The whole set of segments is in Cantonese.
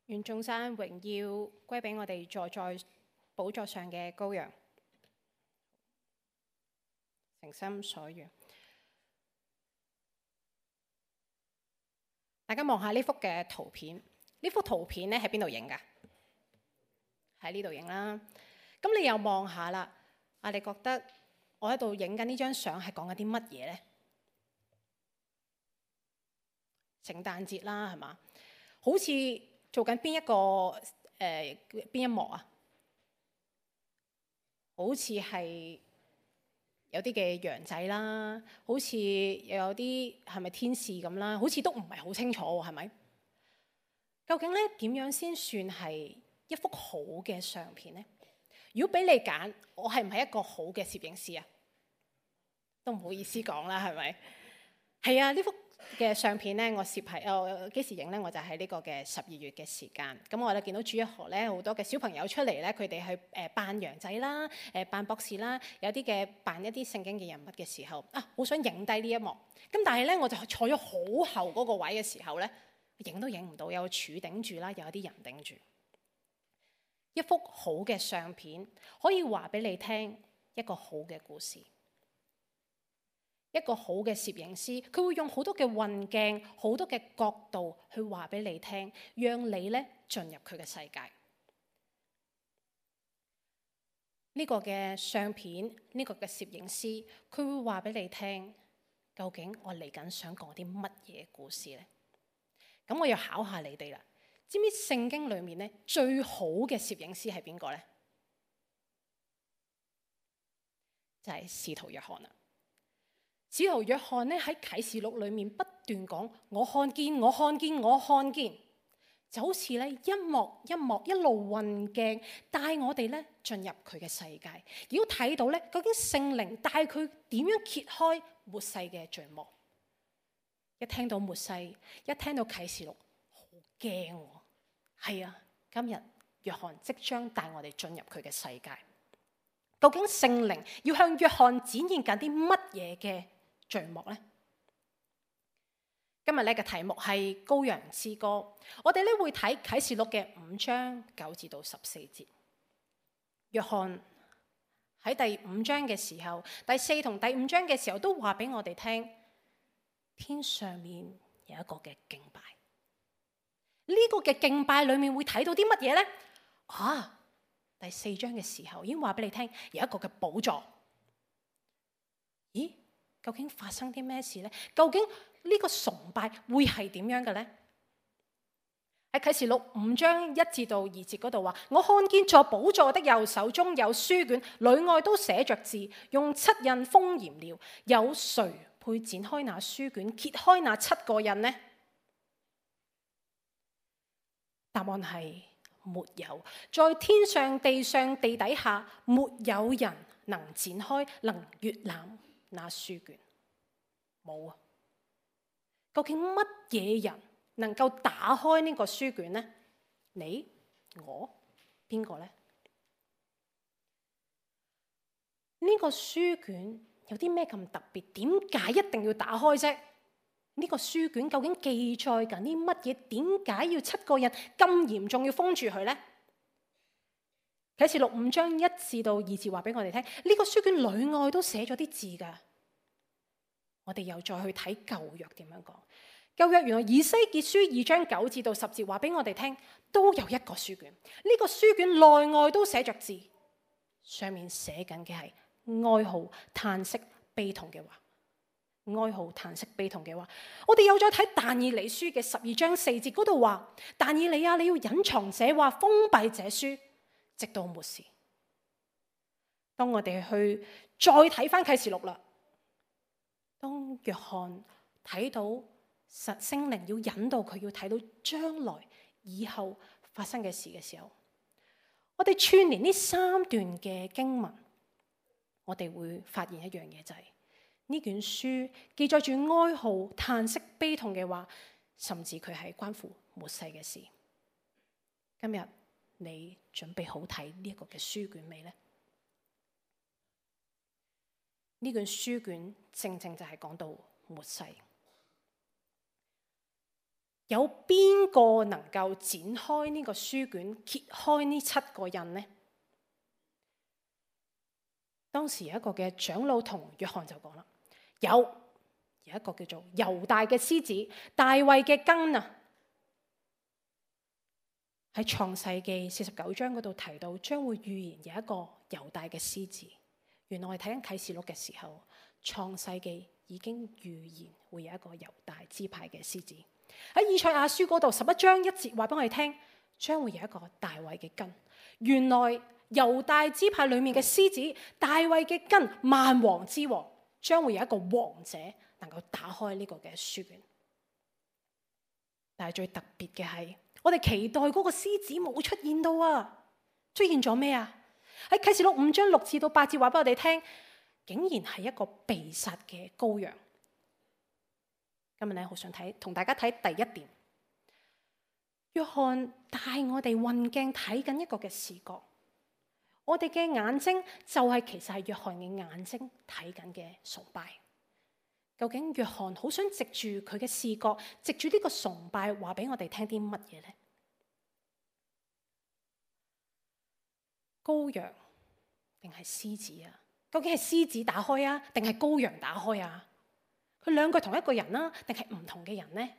願眾山榮耀歸俾我哋坐在寶座上嘅羔羊，誠心所願。大家望下呢幅嘅圖片，呢幅圖片咧喺邊度影㗎？喺呢度影啦。咁你又望下啦，你覺得我喺度影緊呢張相係講緊啲乜嘢咧？聖誕節啦，係嘛？好似做緊邊一幕啊？好似係有啲嘅羊仔啦，好似又有啲係咪天使咁啦？好似都唔係好清楚喎，係咪？究竟咧點樣先算係一幅好嘅相片呢？如果俾你揀，我係唔係一個好嘅攝影師啊？都唔好意思講啦，係咪？係啊，呢幅嘅相片咧，我攝係幾時影咧？我就喺呢個嘅12月嘅時間。咁我哋見到主日學咧，好多嘅小朋友出嚟咧，佢哋去扮羊仔啦，扮博士啦，有啲嘅扮一啲聖經嘅人物嘅時候好想影低呢一幕。咁但係咧，我就坐咗好後嗰個位嘅時候咧，影都影唔到，有個柱頂住啦，又有啲人頂住。一幅好嘅相片可以話俾你聽一個好嘅故事。一個好嘅攝影師，佢會用好多嘅運鏡、好多嘅角度去話俾你聽，讓你咧進入佢嘅世界。呢個嘅相片，呢個嘅攝影師，佢會話俾你聽，究竟我嚟緊想講啲乜嘢故事呢？咁我要考下你哋啦，知唔知聖經裏面咧最好嘅攝影師係邊個呢？就係使徒約翰啦。使徒約翰咧喺啟示錄裏面不斷講，我看見，我看見，我看見，就好似咧一幕一幕一路運鏡帶我哋咧進入佢嘅世界，如果睇到咧究竟聖靈帶佢點樣揭開末世嘅序幕。一聽到末世，一聽到啟示錄，好驚喎！係啊，今日約翰即將帶我哋進入佢嘅世界。究竟聖靈要向約翰展現緊啲乜嘢嘅序幕呢？今日咧嘅題目係羔羊之歌。我哋咧會睇啟示錄嘅5章9至到14節。約翰喺第5章嘅時候，第4同第5章嘅時候都話俾我哋聽，天上面有一個嘅敬拜。呢個嘅敬拜裏面會睇到啲乜嘢呢？第4章嘅時候已經話俾你聽，有一個嘅寶座。咦？究竟發生啲咩事呢？究竟呢個崇拜會係點樣嘅呢？喺啟示錄5章1至到2節嗰度話，我看見坐寶座的右手中有書卷，裏外都寫着字，用7印封嚴了。有誰配展開那書卷，揭開那7個印呢？答案係沒有，在天上、地上、地底下，沒有人能展開，能閱覽那書卷。冇啊！究竟乜嘢人能夠打開呢個書卷呢？你、我、邊個呢？呢個書卷有啲咩咁特別？點解一定要打開啫？呢個書卷究竟記載緊啲乜嘢？點解要7個人咁嚴重要封住佢呢？啟示錄5章1至到2節話俾我哋聽，呢個書卷裏外都寫咗啲字噶。我哋又再去睇舊約點樣講。舊約原來以西結書2章9至到10節話俾我哋聽，都有一個書卷。呢個書卷內外都寫着字，上面寫緊嘅係哀號、嘆息、悲痛嘅話。哀號、嘆息、悲痛嘅話，我哋又再睇但以理書嘅12章4節嗰度話，但以理啊，你要隱藏這話，封閉這書，直到末時。當我哋去再睇翻啟示錄啦，當約翰睇到聖靈要引導佢，要睇到將來以後發生嘅事嘅時候，我哋串連呢3段嘅經文，我哋會發現一樣嘢，就係呢卷書記載住哀號、嘆息、悲痛嘅話，甚至佢係關乎末世嘅事。今日你準備好睇呢一個嘅書卷未呢？呢卷書卷正正就係講到末世。有邊個能夠展開呢個書卷，揭開呢7個印呢？當時有一個嘅長老同約翰就講啦，有一個叫做猶大嘅獅子，大衛嘅根啊，喺創世記49章嗰度提到，將會預言有一個猶大嘅獅子。原來我哋睇緊啟示錄嘅時候，創世記已經預言會有一個猶大支派嘅獅子。喺以賽亞書嗰度11章1節話俾我哋聽，將會有一個大衛嘅根。原來猶大支派裏面嘅獅子，大衛嘅根，萬王之王，將會有一個王者能夠打開呢個嘅書卷。但係最特別嘅係，我哋期待嗰個獅子冇出現到啊！出現咗咩啊？喺啟示錄5章6至到8節話俾我哋聽，竟然係一個被殺嘅羔羊。今日咧好想同大家睇第一點。約翰帶我哋運鏡睇緊一個嘅視覺，我哋嘅眼睛就係其實係約翰嘅眼睛睇緊嘅崇拜。究竟約翰好想藉住佢嘅視覺，藉住呢個崇拜話俾我哋聽啲乜嘢呢？羔羊定係獅子啊？究竟係獅子打開啊，定係羔羊打開啊？佢兩個同一個人啊，定係唔同嘅人呢？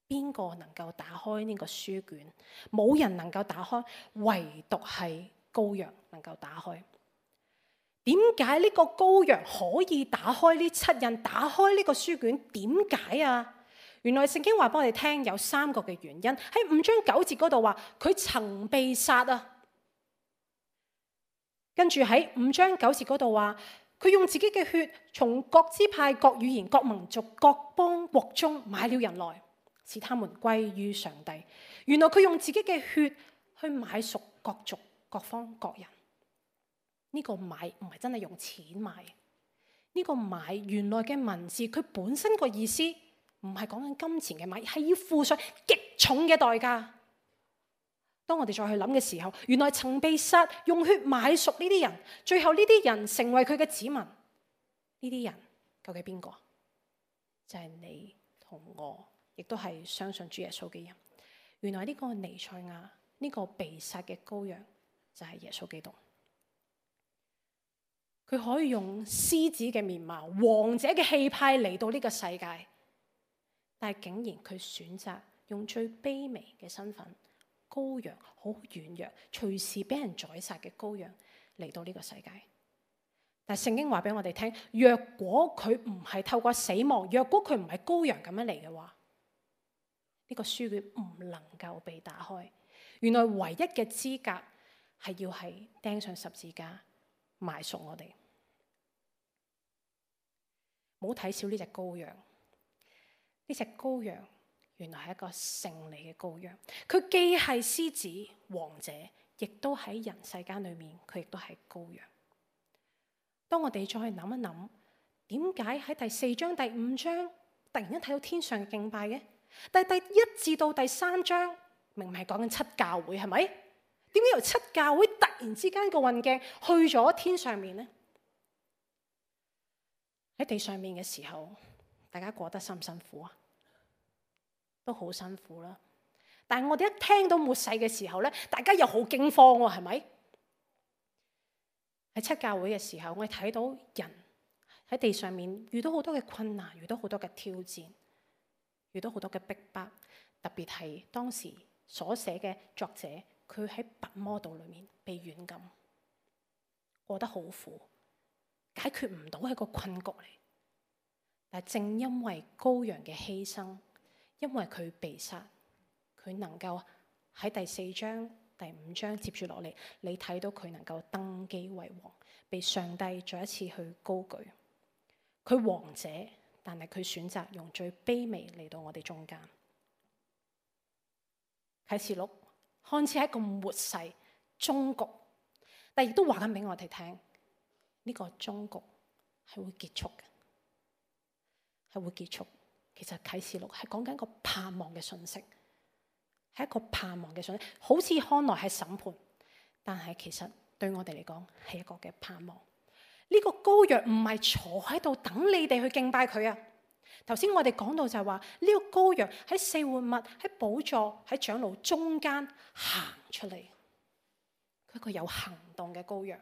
邊個能夠打開呢個書卷？冇人能夠打開，唯獨係羔羊能夠打開。點解呢個羔羊可以打開呢7印，打開呢個書卷？點解啊？原來聖經話俾我哋聽有3個嘅原因。喺5章9節嗰度話佢曾被殺啊，跟住喺5章9節嗰度話佢用自己嘅血從各支派、各語言、各民族、各邦國中買了人來，使他們歸於上帝。原來佢用自己嘅血去買贖各族、各方、各人。呢個買唔係真係用錢買，呢個買原來嘅文字佢本身個意思唔係講緊金錢嘅買，係要付上極重嘅代價。當我哋再去諗嘅時候，原來曾被殺，用血買贖呢啲人，最後呢啲人成為佢嘅子民。呢啲人究竟邊個？就係你同我，亦都係相信主耶穌嘅人。原來呢個彌賽亞，呢個被殺嘅羔羊就係耶穌基督。佢可以用獅子嘅面貌、王者嘅氣派嚟到呢個世界，但係竟然佢選擇用最卑微嘅身份，羔羊，好軟弱，隨時俾人宰殺嘅羔羊嚟到呢個世界。但係聖經話俾我哋聽，若果佢唔係透過死亡，若果佢唔係羔羊咁樣嚟嘅話，呢個書卷唔能夠被打開。原來唯一嘅資格係要係釘上十字架埋贖我哋。唔好睇小呢隻羔羊，呢隻羔羊原來係一個勝利嘅羔羊。佢既係獅子王者，亦都喺人世間裏面，佢亦都係羔羊。當我哋再去諗一諗，點解喺第4章、第5章突然間睇到天上嘅敬拜嘅？但係第1至到第3章明明係講緊7教會，係咪？點解由7教會突然之間個運鏡去咗天上面呢？喺地上面嘅時候，大家過得辛唔辛苦啊？都好辛苦啦。但係我哋一聽到末世嘅時候咧，大家又好驚慌喎，係咪？喺7教會嘅時候，我哋睇到人喺地上面遇到好多嘅困難，遇到好多嘅挑戰，遇到好多嘅逼迫。特別係當時所寫嘅作者，佢喺拔摩島裏面被軟禁，過得好苦，解決唔到係個困局嚟。但係正因為羔羊嘅犧牲，因為佢被殺，佢能夠喺第4章、第5章接住落嚟，你睇到佢能夠登基為王，被上帝再一次去高舉。佢王者，但係佢選擇用最卑微嚟到我哋中間。啟示錄看似係一個末世終局，但亦都話緊俾我哋聽，呢個終局係會結束嘅，係會結束。其實啟示錄係講緊一個盼望嘅信息，係一個盼望嘅信息，好似看來係審判，但係其實對我哋嚟講係一個嘅盼望。呢個羔羊唔係坐喺度等你哋去敬拜佢啊，頭先我哋講到就係話呢個羔羊喺四活物、喺寶座、喺長老中間行出嚟，佢係一個有行動嘅羔羊。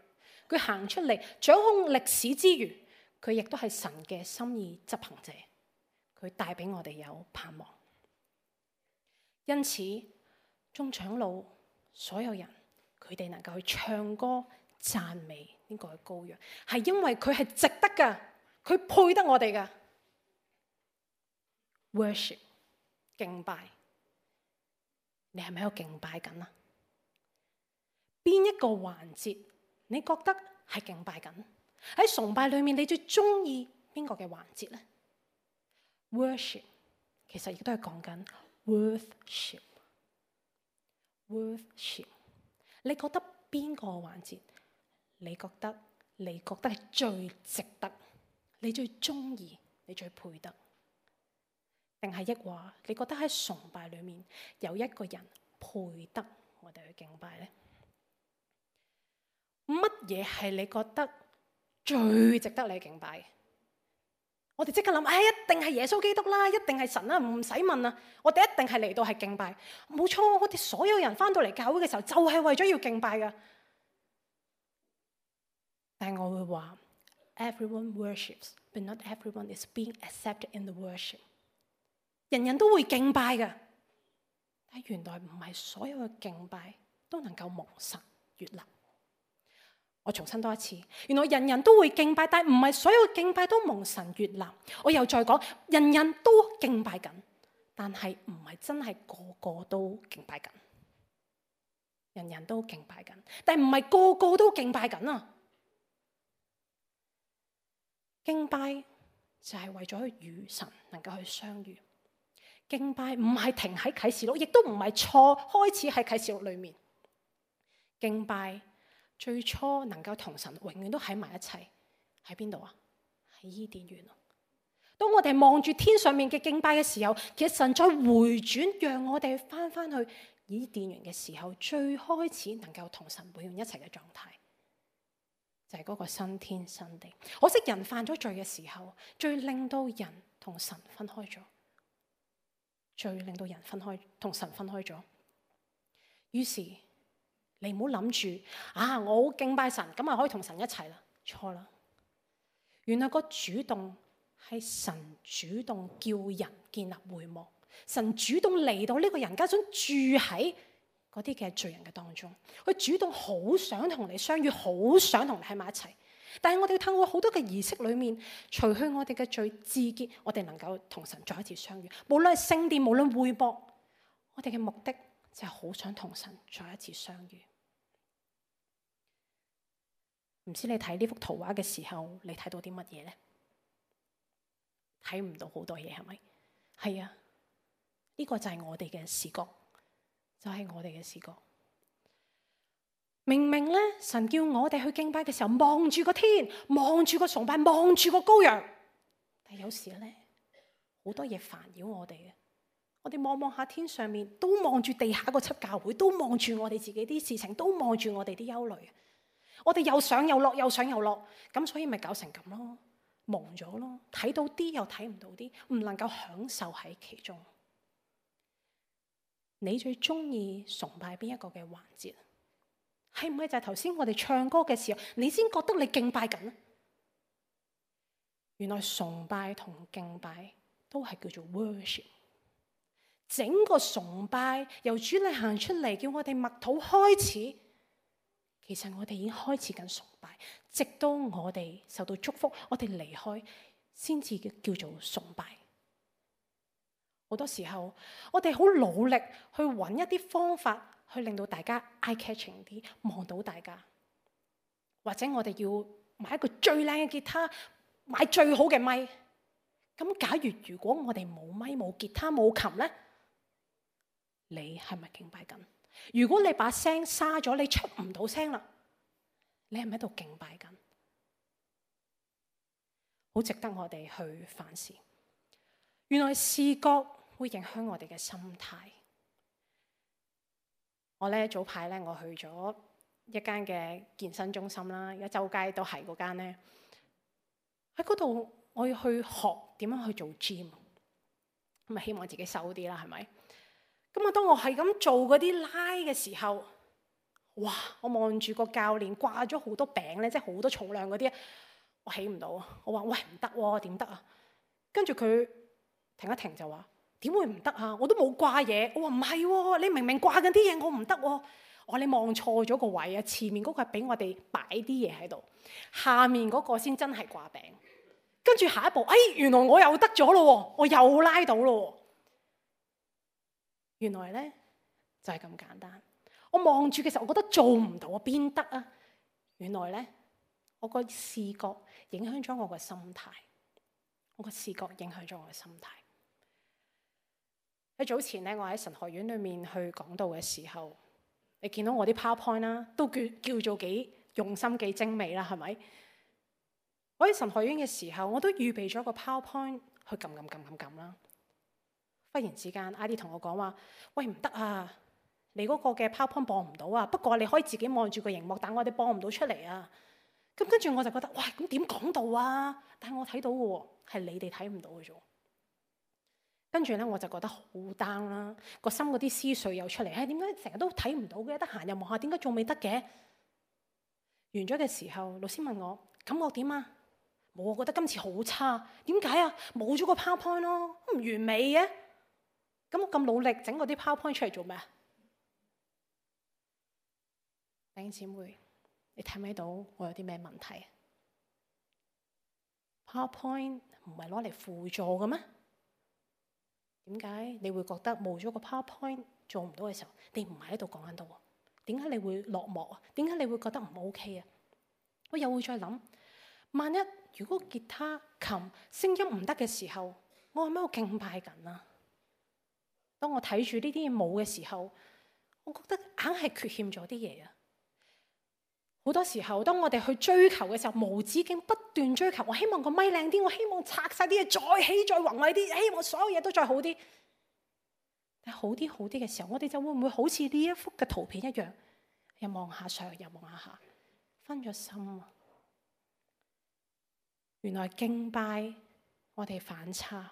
佢行出嚟掌控歷史之餘，佢亦都係神嘅心意執行者。佢帶俾我哋有盼望。因此，眾長老所有人，佢哋能夠去唱歌讚美呢個羔羊，係因為佢係值得㗎，佢配得我哋㗎。Worship 敬拜，你係咪喺度敬拜緊啊？邊一個環節你覺得係敬拜緊？喺崇拜裏面，你最中意邊個嘅環節呢？ Worship 其實亦都係講緊 worship。你覺得邊個環節？你覺得係最值得？你最中意？你最配得？定係抑或你覺得喺崇拜裏面有一個人配得我哋去敬拜呢？乜嘢係你覺得最值得你敬拜嘅？我哋即刻諗，一定係耶穌基督啦，一定係神啦，唔使問啦。我哋一定係嚟到係敬拜，冇錯。我哋所有人翻到嚟教會嘅時候，就係為咗要敬拜噶。但係我會話 ，everyone worships, but not everyone is being accepted in the worship。人人都會敬拜噶，但係原來唔係所有嘅敬拜都能夠蒙神悅納。我重申多一次，原來人人都會敬拜，但係唔係所有敬拜都蒙神悅納。我又再講，人人都敬拜緊，但係唔係真係個個都敬拜緊。人人都敬拜緊，但係唔係個個都敬拜緊啊！敬拜就係為咗與神能夠去相遇。敬拜唔係停喺啟示錄，亦都唔係錯開始喺啟示錄裏面。敬拜最初能夠同神永遠都喺埋一齊，喺邊度啊？喺伊甸園。當我哋望住天上面嘅敬拜嘅時候，其實神再回轉，讓我哋翻去伊甸園嘅時候，最開始能夠同神永遠一齊嘅狀態，就係嗰個新天新地。可惜人犯咗罪嘅時候，最令到人同神分開咗。最令到人同神分開咗。於是你唔好諗住我好敬拜神，咁啊可以同神一齊啦。錯啦，原來個主動係神主動叫人建立會幕，神主動嚟到呢個人間，想住喺嗰啲嘅罪人嘅當中。佢主動好想同你相遇，好想同你喺埋一齊。但係我哋要透過好多嘅儀式裏面，除去我哋嘅罪，自潔，我哋能夠同神再一次相遇。無論係聖殿，無論會幕，我哋嘅目的就係好想同神再一次相遇。唔知你睇呢幅圖畫嘅時候，你睇到啲乜嘢呢？睇唔到好多嘢，係咪？係啊，呢個就係我哋嘅視覺，就係我哋嘅視覺。明明咧，神叫我哋去敬拜嘅時候，望住個天，望住個崇拜，望住個羔羊。但係有時咧，好多嘢煩擾我哋嘅。我哋望下天上面，都望住地下個七教會，都望住我哋自己啲事情，都望住我哋啲憂慮。我哋又上又落，又上又落，咁所以咪搞成咁咯，蒙咗咯，睇到啲又睇唔到啲，唔能夠享受喺其中。你最中意崇拜邊一個嘅環節？係唔係就係頭先我哋唱歌嘅時候，你先覺得你敬拜緊？原來崇拜同敬拜都係叫做 worship。整個崇拜由主嚟行出嚟，叫我哋默禱開始。其實我哋已經開始緊崇拜，直到我哋受到祝福，我哋離開，先至叫做崇拜。好多時候，我哋好努力去揾一啲方法。去令到大家 eye catching 啲，望到大家，或者我哋要買一個最靚嘅吉他，買最好嘅咪。咁假如果我哋冇咪、冇吉他、冇琴咧，你係咪敬拜緊？如果你把聲沙咗，你出唔到聲啦，你係咪喺度敬拜緊？好值得我哋去反思。原來視覺會影響我哋嘅心態。我咧早排咧，我去咗一間嘅健身中心啦，而家周街都係嗰間咧。喺嗰度，我要去學點樣去做 gym， 咁啊希望自己瘦啲啦，係咪？咁啊當我係咁做嗰啲拉嘅時候，哇！我望住個教練掛咗好多餅咧，即係好多重量嗰啲，我起唔到啊！我話喂，唔得喎，點得啊？跟住佢停一停就話：點會唔得啊？我都冇掛嘢。我話唔係喎，你明明掛緊啲嘢，我唔得喎。我話你望錯咗個位啊！前面嗰個係俾我哋擺啲嘢喺度，下面嗰個先真係掛餅。跟住下一步，原來我又得咗咯，我又拉到咯。原來咧就係咁簡單。我望住嘅時候，我覺得做唔到啊，邊得啊？原來咧，我個視覺影響咗我個心態，我個視覺影響咗我嘅心態。喺早前咧，我喺神學院裏面去講道嘅時候，你見到我啲 PowerPoint 啦，都叫做幾用心、幾精美啦，係咪？我喺神學院嘅時候，我都預備咗個 PowerPoint 去撳啦。忽然之間 ，ID 同我講話：喂，唔得啊！你嗰個嘅 PowerPoint 播唔到啊，不過你可以自己望住個熒幕，但我哋播唔到出嚟啊。咁跟住我就覺得，喂，咁點講道啊？但係我睇到嘅喎，係你哋睇唔到嘅啫。跟住咧，我就覺得好 down 啦，個心嗰啲思緒又出嚟，點解成日都睇唔到嘅？得閒又望下，點解仲未得嘅？完咗嘅時候，老師問我感覺點啊？冇，我覺得今次好差。點解啊？冇咗個 PowerPoint 咯，唔完美嘅。咁我咁努力整嗰啲 PowerPoint 出嚟做咩啊？弟兄姊妹，你睇唔睇到我有啲咩問題？PowerPoint 唔係攞嚟輔助嘅咩？點解你會覺得冇咗個 PowerPoint 做唔到嘅時候，你唔係喺度講緊道？點解你會落寞啊？點解你會覺得唔 OK 啊？我又會再諗，萬一如果吉他、琴聲音唔得嘅時候，我係咪喺度敬拜緊啊？當我睇住呢啲嘢冇嘅時候，我覺得硬係缺欠咗啲嘢啊！好多時候，當我哋去追求嘅時候，無止境不斷追求。我希望個咪靚啲，我希望拆晒啲嘢再起再宏偉啲，希望所有嘢都再好啲。但係好啲嘅時候，我哋就會唔會好似呢一幅嘅圖片一樣，又望下上，又望下下，分咗心啊！原來敬拜我哋反差，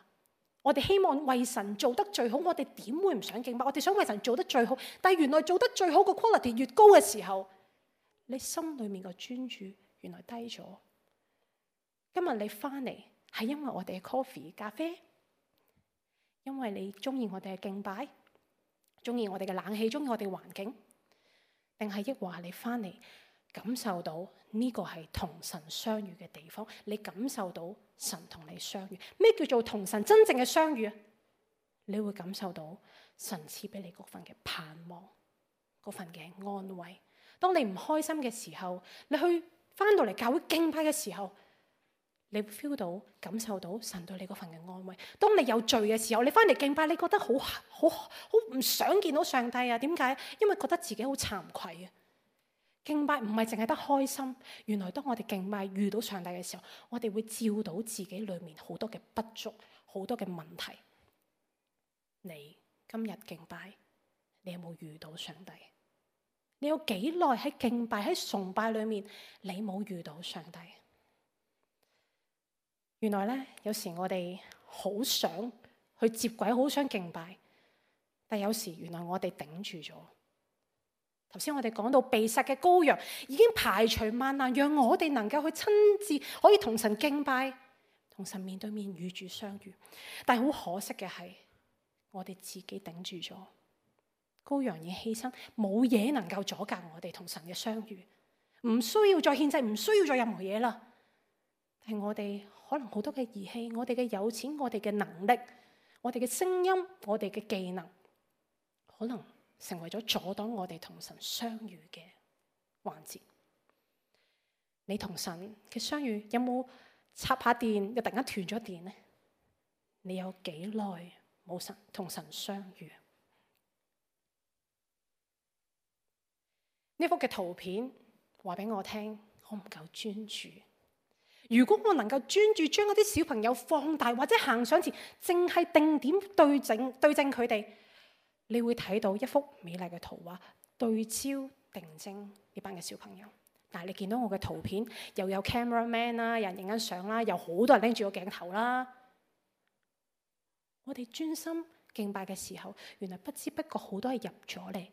我哋希望為神做得最好，我哋點會唔想敬拜？我哋想為神做得最好，但係原來做得最好個 quality 越高嘅時候，你心裏面個專注原來低咗。今日你翻嚟係因為我哋嘅 coffee 咖啡，因為你中意我哋嘅敬拜，中意我哋嘅冷氣，中意我哋嘅環境，定係抑或你翻嚟感受到呢個係同神相遇嘅地方？你感受到神同你相遇？咩叫做同神真正嘅相遇啊？你會感受到神賜俾你嗰份嘅盼望，嗰份嘅安慰。當你唔開心嘅時候，你去翻到嚟教會敬拜嘅時候，你會 feel 到、感受到神對你嗰份嘅安慰。當你有罪嘅時候，你翻嚟敬拜，你覺得好唔想見到上帝啊？點解？因為覺得自己好慚愧啊！敬拜唔係淨係得開心，原來當我哋敬拜遇到上帝嘅時候，我哋會照到自己裏面好多嘅不足、好多嘅問題。你今日敬拜，你有冇遇到上帝？你有幾耐喺敬拜、喺崇拜裏面，你冇遇到上帝？原來咧，有時我哋好想去接軌，好想敬拜，但有時原來我哋頂住咗。頭先我哋講到被殺嘅羔羊已經排除萬難，讓我哋能夠去親自可以同神敬拜，同神面對面與主相遇。但係好可惜嘅係，我哋自己頂住咗。羔羊已犧牲，冇嘢能夠阻隔我哋同神嘅相遇，唔需要再獻祭，唔需要再任何嘢啦。但係我哋可能好多嘅儀器，我哋嘅有錢，我哋嘅能力，我哋嘅聲音，我哋嘅技能，可能成為咗阻擋我哋同神相遇嘅環節。你同神嘅相遇有冇插下電又突然間斷咗電呢？你有幾耐冇同神相遇？呢幅嘅圖片話俾我聽，我唔夠專注。如果我能夠專注將嗰啲小朋友放大，或者行上前，淨係定點對正佢哋，你會睇到一幅美麗嘅圖畫，對焦定睛呢班嘅小朋友。但係你見到我嘅圖片，又有 camera man 啦，有人影緊相啦，有好多人拎住個鏡頭啦。我哋專心敬拜嘅時候，原來不知不覺好多係入咗嚟，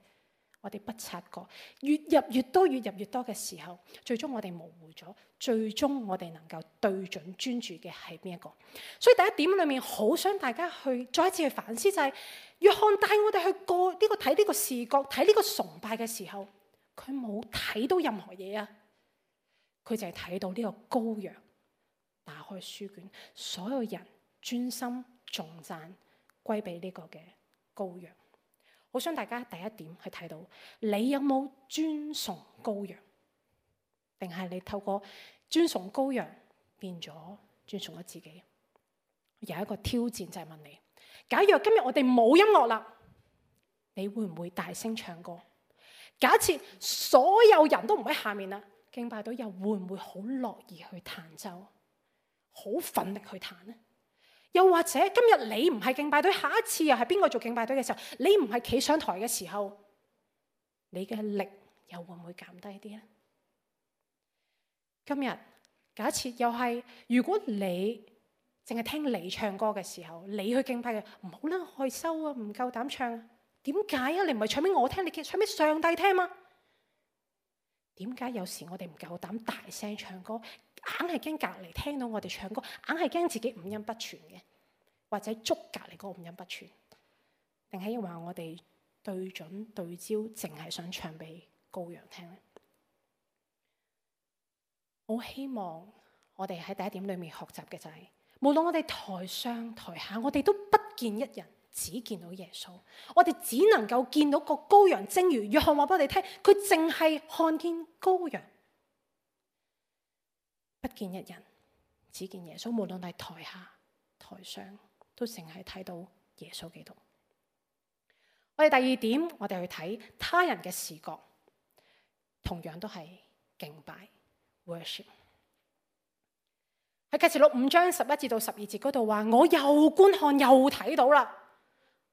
我哋不察覺，越入越多，越入越多嘅時候，最終我哋模糊咗，最終我哋能夠對準專注嘅係邊一個？所以第一點裏面，好想大家去再一次去反思，就係約翰帶我哋去過呢個睇呢個視覺，睇呢個崇拜嘅時候，佢冇睇到任何嘢啊，佢就係睇到呢個羔羊打開書卷，所有人專心頌讚歸俾呢個嘅羔羊。好想大家第一點去睇到，你有冇尊崇羔羊，定係你透過尊崇羔羊變咗尊崇咗自己？有一個挑戰就係問你，假如今日我哋冇音樂啦，你會唔會大聲唱歌？假設所有人都唔喺下面啦，敬拜隊又會唔會好樂意去彈奏，好奮力去彈呢？又或者今日你唔係敬拜隊，下一次又係邊個做敬拜隊嘅時候，你唔係企上台嘅時候，你嘅力又會唔會減低啲呢？今日假設又係，如果你淨係聽你唱歌嘅時候，你去敬拜嘅，唔好啦，害羞啊，唔夠膽唱啊。點解啊？你唔係唱俾我聽，你唱俾上帝聽嘛？點解有時我哋唔夠膽大聲唱歌，硬係驚隔離聽到我哋唱歌，硬係驚自己五音不全嘅，或者捉隔離嗰個五音不全，定係因為我哋對準對焦，淨係想唱俾羔羊聽咧？我希望我哋喺第一點裏面學習嘅就係，無論我哋台上台下，我哋都不見一人，只見到耶穌。我哋只能夠見到個羔羊，正如約翰話俾我哋聽，佢淨係看見羔羊，不見一人，只見耶穌。無論係台下台上，都淨係睇到耶穌基督。我哋第二點，我哋去睇他人嘅視覺，同樣都係敬拜 worship。喺啟示錄5章11至到12節嗰度話，我又觀看又睇到啦，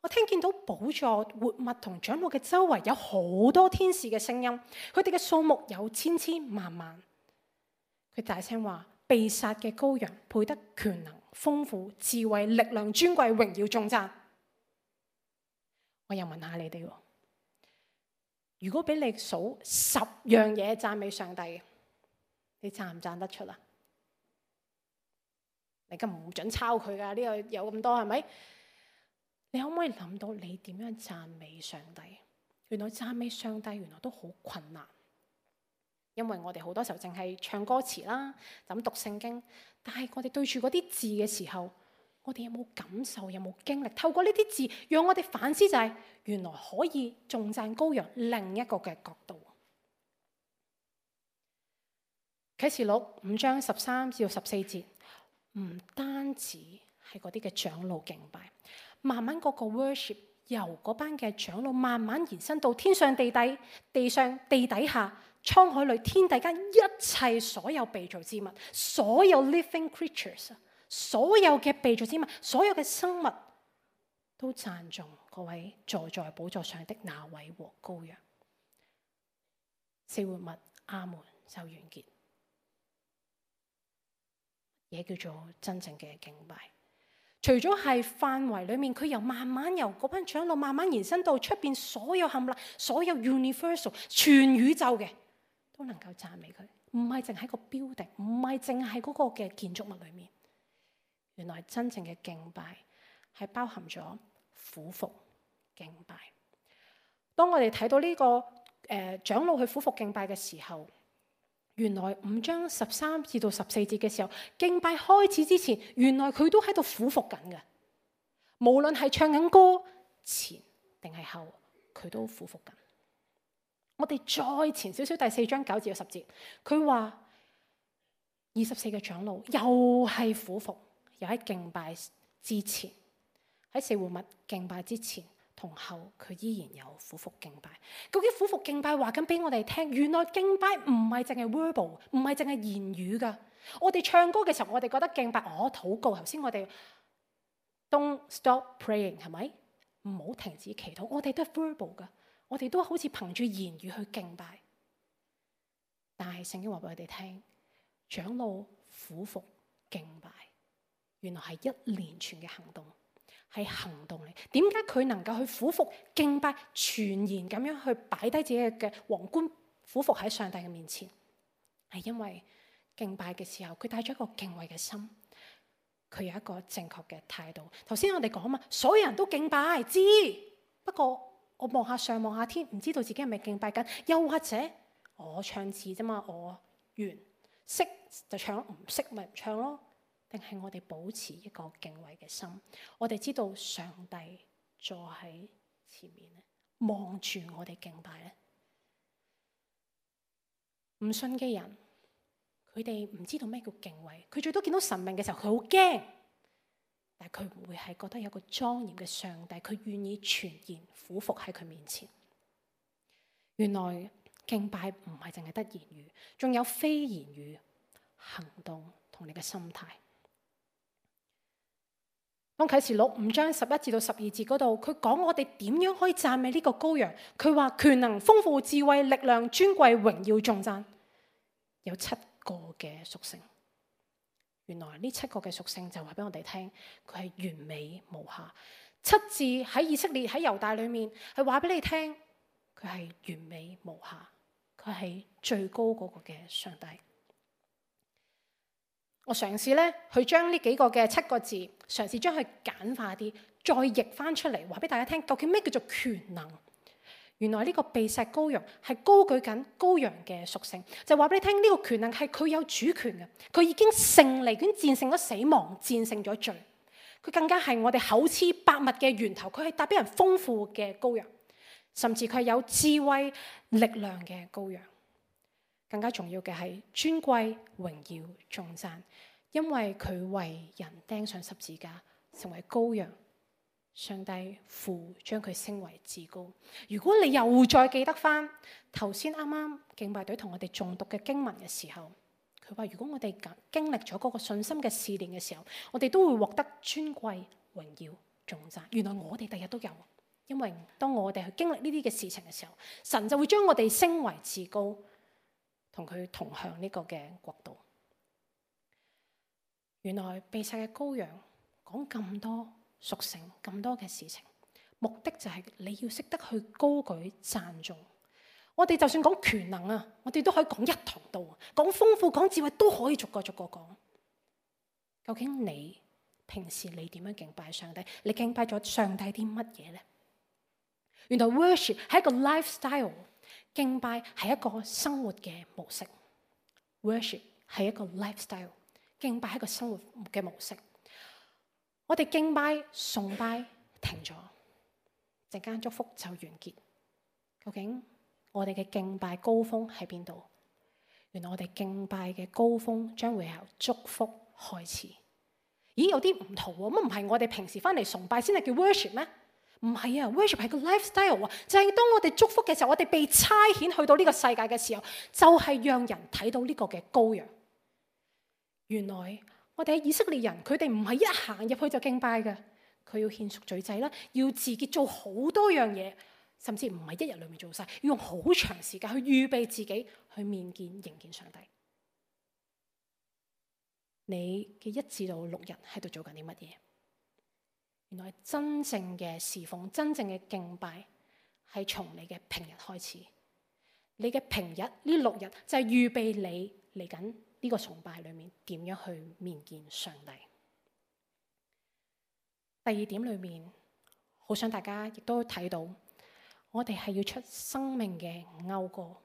我聽見到寶座、活物同長老嘅周圍有好多天使嘅聲音，佢哋嘅數目有千千萬萬。佢大聲話，被殺嘅羔羊配得權能、豐富、智慧、力量、尊貴、榮耀、頌讚。我又問下你哋，如果俾你數10樣嘢讚美上帝，你讚唔讚得出啊？你咁唔准抄佢噶，呢個有咁多係咪？你可唔可以諗到你點樣讚美上帝？原來讚美上帝原來都好困難，因為我哋好多時候淨係唱歌詞啦，就咁讀聖經。但係我哋對住嗰啲字嘅時候，我哋有冇感受？有冇經歷？透過呢啲字，讓我哋反思就係，原來可以頌讚羔羊另一個嘅角度。啟示錄5章13至14節。唔單止係嗰啲嘅長老敬拜，慢慢嗰個 worship 由嗰班嘅長老慢慢延伸到天上地底、地上地底下、滄海裏、天地間一切所有被造之物，所有 living creatures， 所有嘅被造之物，所有嘅生物都讚頌嗰位坐在寶座上的那位和羔羊。四活物阿門就完結。嘢叫做真正嘅敬拜，除咗係範圍裏面，佢由慢慢由嗰班長老慢慢延伸到出邊所有冚唪唥，所有 universal 全宇宙嘅都能夠讚美佢，唔係淨喺個 building，唔係淨係嗰個嘅建築物裏面。原來真正嘅敬拜係包含咗俯伏敬拜。當我哋睇到呢個長老去俯伏敬拜嘅時候，原來5章13至到14節嘅時候，敬拜開始之前，原來佢都喺度俯伏緊嘅。無論係唱緊歌前定係後，佢都俯伏緊。我哋再前少少，第4章9至到10節，佢話24個長老又係俯伏，又喺敬拜之前，喺四活物敬拜之前同後，佢依然有俯伏敬拜。究竟俯伏敬拜話緊俾我哋聽，原來敬拜唔係淨係 verbal， 唔係淨係言語噶。我哋唱歌嘅時候，我哋覺得敬拜，禱告。頭先我哋 don't stop praying， 係咪？唔好停止祈禱。我哋都係 verbal 噶，我哋都好似憑住言語去敬拜。但係聖經話俾我哋聽，長老俯伏敬拜，原來係一連串嘅行動，係行動嚟。點解佢能夠去俯伏敬拜，全然咁樣去擺低自己嘅皇冠，俯伏喺上帝嘅面前？係因為敬拜嘅時候，佢帶咗一個敬畏嘅心，佢有一個正確嘅態度。頭先我哋講嘛，所有人都敬拜，知，不過我望下上望下天，唔知道自己係咪敬拜緊。又或者我唱字啫嘛，我完識就唱，唔識咪唔唱咯。定係我哋保持一個敬畏嘅心，我哋知道上帝坐喺前面咧，望住我哋敬拜咧。唔信嘅人，佢哋唔知道咩叫敬畏，佢最多見到神明嘅時候，佢好驚，但係佢唔會係覺得有個莊嚴嘅上帝，佢願意全然俯伏喺佢面前。原來敬拜唔係淨係得言語，仲有非言語行動同你嘅心態。當啟示錄5章11至到12節嗰度，佢講我哋點樣可以讚美呢個羔羊。佢話權能、豐富、智慧、力量、尊貴、榮耀、頌讚，有7個嘅屬性。原來呢7個嘅屬性就話俾我哋聽，佢係完美無瑕。7字喺以色列喺猶大裏面係話俾你聽，佢係完美無瑕，佢係最高嗰個嘅上帝。我嘗試咧去將呢幾個嘅7個字，嘗試將佢簡化啲，再譯翻出嚟，話俾大家聽，究竟咩叫做權能？原來呢個被石羔羊係高舉緊羔羊嘅屬性，就話俾你聽，呢個權能係佢有主權嘅，佢已經勝利，已經戰勝咗死亡，戰勝咗罪。佢更加係我哋厚賜百物嘅源頭，佢係帶俾人豐富嘅羔羊，甚至佢係有智慧力量嘅羔羊。更加重要嘅係尊貴、榮耀、頌讚，因為佢為人釘上十字架，成為羔羊。上帝父將佢升為至高。如果你又再記得翻頭先啱啱敬拜隊同我哋誦讀嘅經文嘅時候，佢話如果我哋經歷咗嗰個信心嘅試煉嘅時候，我哋都會獲得尊貴、榮耀、頌讚。原來我哋第日都有，因為當我哋去經歷呢啲嘅事情嘅時候，神就會將我哋升為至高，同佢同向呢個嘅國度。原來被殺嘅羔羊講咁多屬性，咁多嘅事情，目的就係你要識得去高舉讚頌。我哋就算講權能啊，我哋都可以講一堂道，講豐富、講智慧都可以逐個逐個講。究竟你平時你點樣敬拜上帝？你敬拜咗上帝啲乜嘢呢？原來 worship 係一個 lifestyle。敬拜係一個生活嘅模式 ，worship 係一個 lifestyle， 敬拜係一個生活嘅模式。我哋敬拜崇拜停咗，陣間祝福就完結。究竟我哋嘅敬拜高峰喺邊度？原來我哋敬拜嘅高峰將會由祝福開始。咦，有啲唔同喎，乜唔係我哋平時翻嚟崇拜先係叫 worship 咩？唔係啊 ，worship 係個 lifestyle 啊，就係當我哋祝福嘅時候，我哋被差遣去到呢個世界嘅時候，就係讓人睇到呢個嘅羔羊。原來我哋喺以色列人，佢哋唔係一行入去就敬拜嘅，佢要獻贖罪祭啦，要自己做好多樣嘢，甚至唔係一日裏面做晒，要用好長時間去預備自己去面見迎見上帝。你嘅1至6日喺度做緊啲乜嘢？原來真正嘅侍奉，真正嘅敬拜係從你嘅平日開始。你嘅平日呢6日就係預備你嚟緊呢個崇拜裏面點樣去面見上帝。第2點裏面，好想大家亦都睇到，我哋係要出生命嘅謳歌，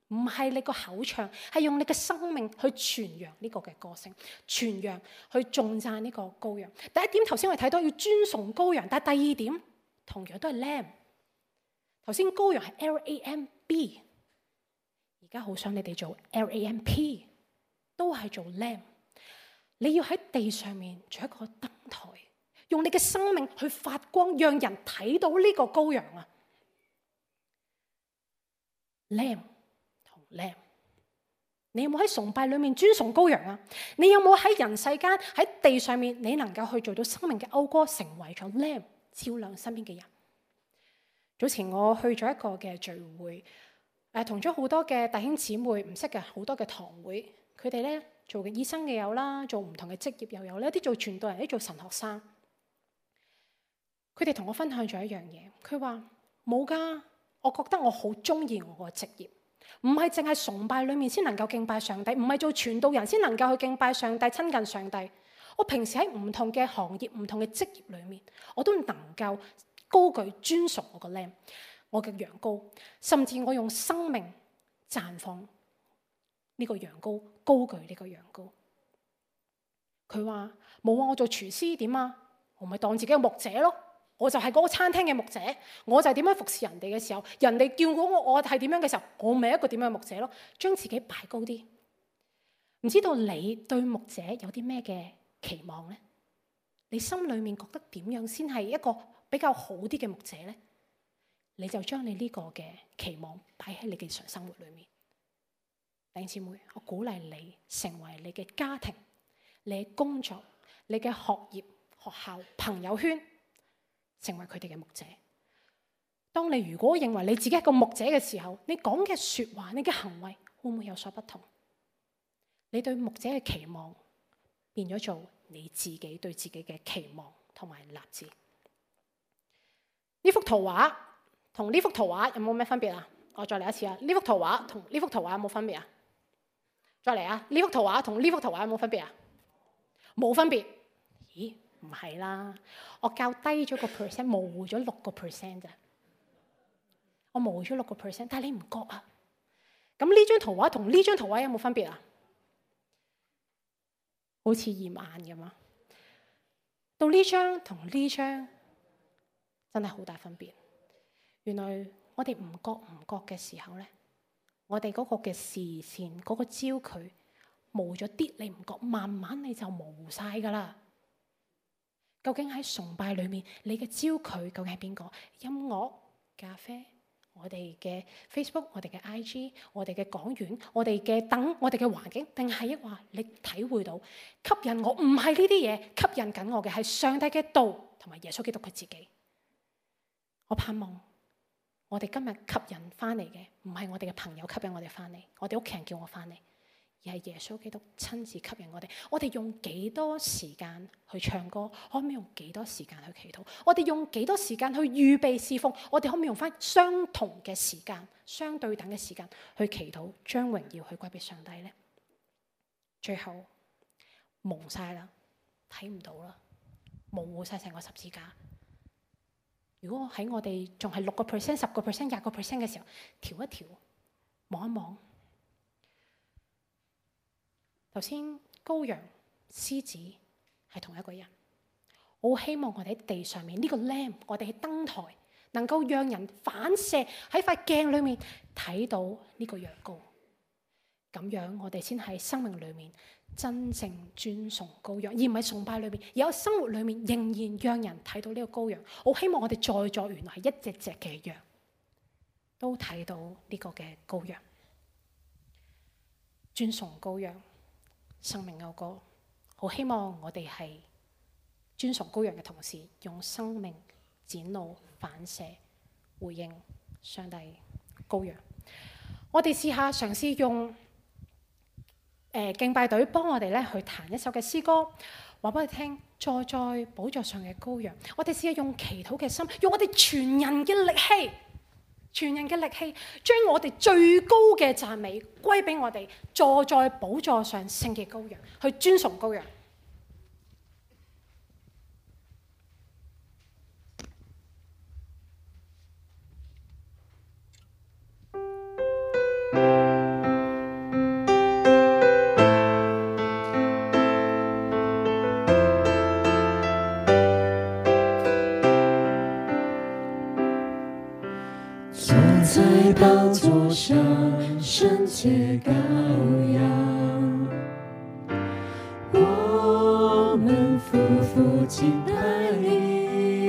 唔係你個口唱，係用你嘅生命去傳揚呢個嘅歌聲，傳揚去頌讚呢個羔羊。第1點頭先我哋睇到要尊崇羔羊，但係第2點同樣都係 lamb。頭先羔羊係 LAMB， 而家好想你哋做 LAMP， 都係做 lamb。你要喺地上面做一個燈台，用你嘅生命去發光，讓人睇到呢個羔羊啊 ，lamb。你有冇喺崇拜裏面尊崇羔羊啊？你有冇喺人世間喺地上面，你能夠去做到生命嘅謳歌，成為咗 lamb， 照亮身邊嘅人？早前我去咗一個嘅聚會，同咗好多嘅弟兄姊妹唔識嘅好多嘅堂會，佢哋咧做嘅醫生嘅有啦，做唔同嘅職業又有咧，啲做傳道人，啲做神學生。佢哋同我分享咗一樣嘢，佢話冇㗎，我覺得我好中意我個職業，唔係淨係崇拜裡面先能夠敬拜上帝，唔係做傳道人先能夠去敬拜上帝、親近上帝。我平時喺唔同嘅行業、唔同嘅職業裡面，我都能夠高舉尊崇我個 lamb，我嘅羊羔，甚至我用生命綻放呢個羊羔，高舉呢個羊羔。佢話冇啊，我做廚師點啊？我咪當自己係牧者咯，我就係嗰個餐廳嘅牧者，我就係點樣服侍人哋嘅時候，人哋叫我係點樣嘅時候，我咪一個點樣嘅牧者咯，將自己擺高啲。唔知道你對牧者有啲咩嘅期望呢？你心裏面覺得點樣先係一個比較好啲嘅牧者呢？你就將你呢個嘅期望擺喺你嘅日常生活裏面。弟兄姊妹，我鼓勵你成為你嘅家庭、你嘅工作、你嘅學業、學校、朋友圈，成為佢哋嘅牧者。當你如果認為你自己係個牧者嘅時候，你講嘅說話、你嘅行為會唔會有所不同？你對牧者嘅期望變咗做你自己對自己嘅期望同埋立志。呢幅圖畫同呢幅圖畫有冇咩分別啊？我再嚟一次啊！呢幅圖畫同呢幅圖畫有冇分別啊？再嚟啊！呢幅圖畫同呢幅圖畫有冇分別啊？冇分別。咦？唔係啦，我較低咗個 percent， 模糊咗6%咋？我模糊咗6%，但係你唔覺啊？咁呢張圖畫同呢張圖畫有冇分別啊？好似驗眼咁啊！到呢張同呢張真係好大分別。原來我哋唔覺嘅時候咧，我哋嗰個嘅視線、嗰個焦距模咗啲，你唔覺，慢慢你就模糊晒噶啦。究竟喺崇拜裏面，你嘅焦距究竟係邊個？音樂、咖啡、我哋嘅 Facebook、我哋嘅 IG、我哋嘅講員、我哋嘅燈、我哋嘅環境，定係抑或你體會到吸引我？唔係呢啲嘢吸引緊我嘅，係上帝嘅道同埋耶穌基督佢自己。我盼望我哋今日吸引翻嚟嘅，唔係我哋嘅朋友吸引我哋翻嚟，我哋屋企人叫我翻嚟，而係耶穌基督親自吸引我哋。我哋用幾多時間去唱歌？可唔可以用幾多時間去祈禱？我哋用幾多時間去預備侍奉？我哋可唔可以用翻相同嘅時間、相對等嘅時間去祈禱，將榮耀去歸俾上帝呢？最後蒙晒啦，睇唔到啦，模糊晒成個十字架。如果喺我哋仲係6%、10%、20%嘅時候，調一調，望一望。頭先羔羊、獅子係同一個人。我好希望我哋喺地上面呢個 lamb，我哋喺燈台能夠讓人反射喺塊鏡裏面睇到呢個羊羔。咁樣我哋先喺生命裏面真正尊崇羔羊，而唔係崇拜裏面，而喺生活裏面仍然讓人睇到呢個羔羊。我希望我哋在座原來係一隻隻嘅羊，都睇到呢個嘅羔羊，尊崇羔羊。生命謳歌，好希望我哋係尊崇羔羊嘅同時，用生命展露反射回應上帝羔羊。我哋試下嘗試用敬拜隊幫我哋咧去彈一首嘅詩歌，話俾我哋聽，坐在寶座上嘅羔羊。我哋試下用祈禱嘅心，用我哋全人嘅力氣，將我哋最高嘅讚美歸俾我哋坐在寶座上聖嘅羔羊，去尊崇羔羊。在寶座上聖潔羔羊，我們夫婦敬拜你，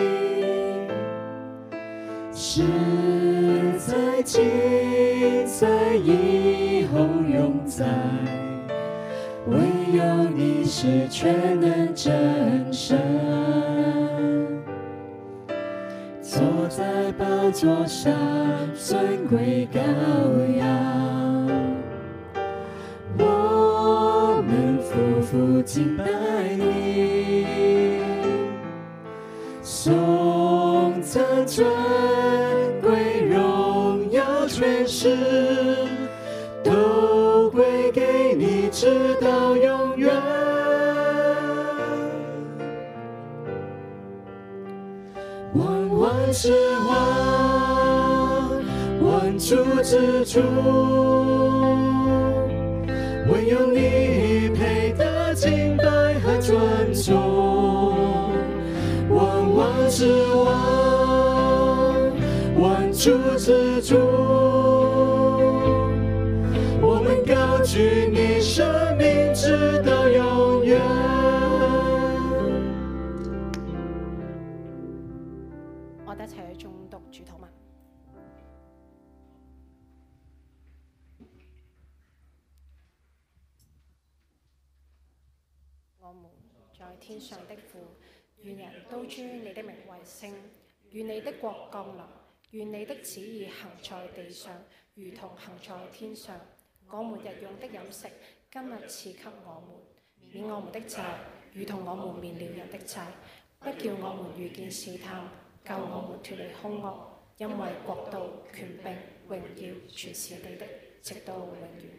實在今在以後永在，唯有你是全能真神。坐在寶座上尊貴羔羊，我們夫婦敬拜你，頌讚尊貴榮耀權勢，都歸給你，直到永遠。萬王之王，萬主之主，唯有你配得敬拜和尊重。萬王之王，萬主之主，我們高舉你生命直到永遠。我哋一齊去誦讀主禱文。我們在天上的父，願人都尊你的名為聖，願你的國降臨，願你的旨意行在地上，如同行在天上。我們日用的飲食，今日賜給我們，免我們的債，如同我們免了人的債，不叫我們遇見試探，救我們脫離兇惡，因為國度、權柄、榮耀，全是你的，直到永遠。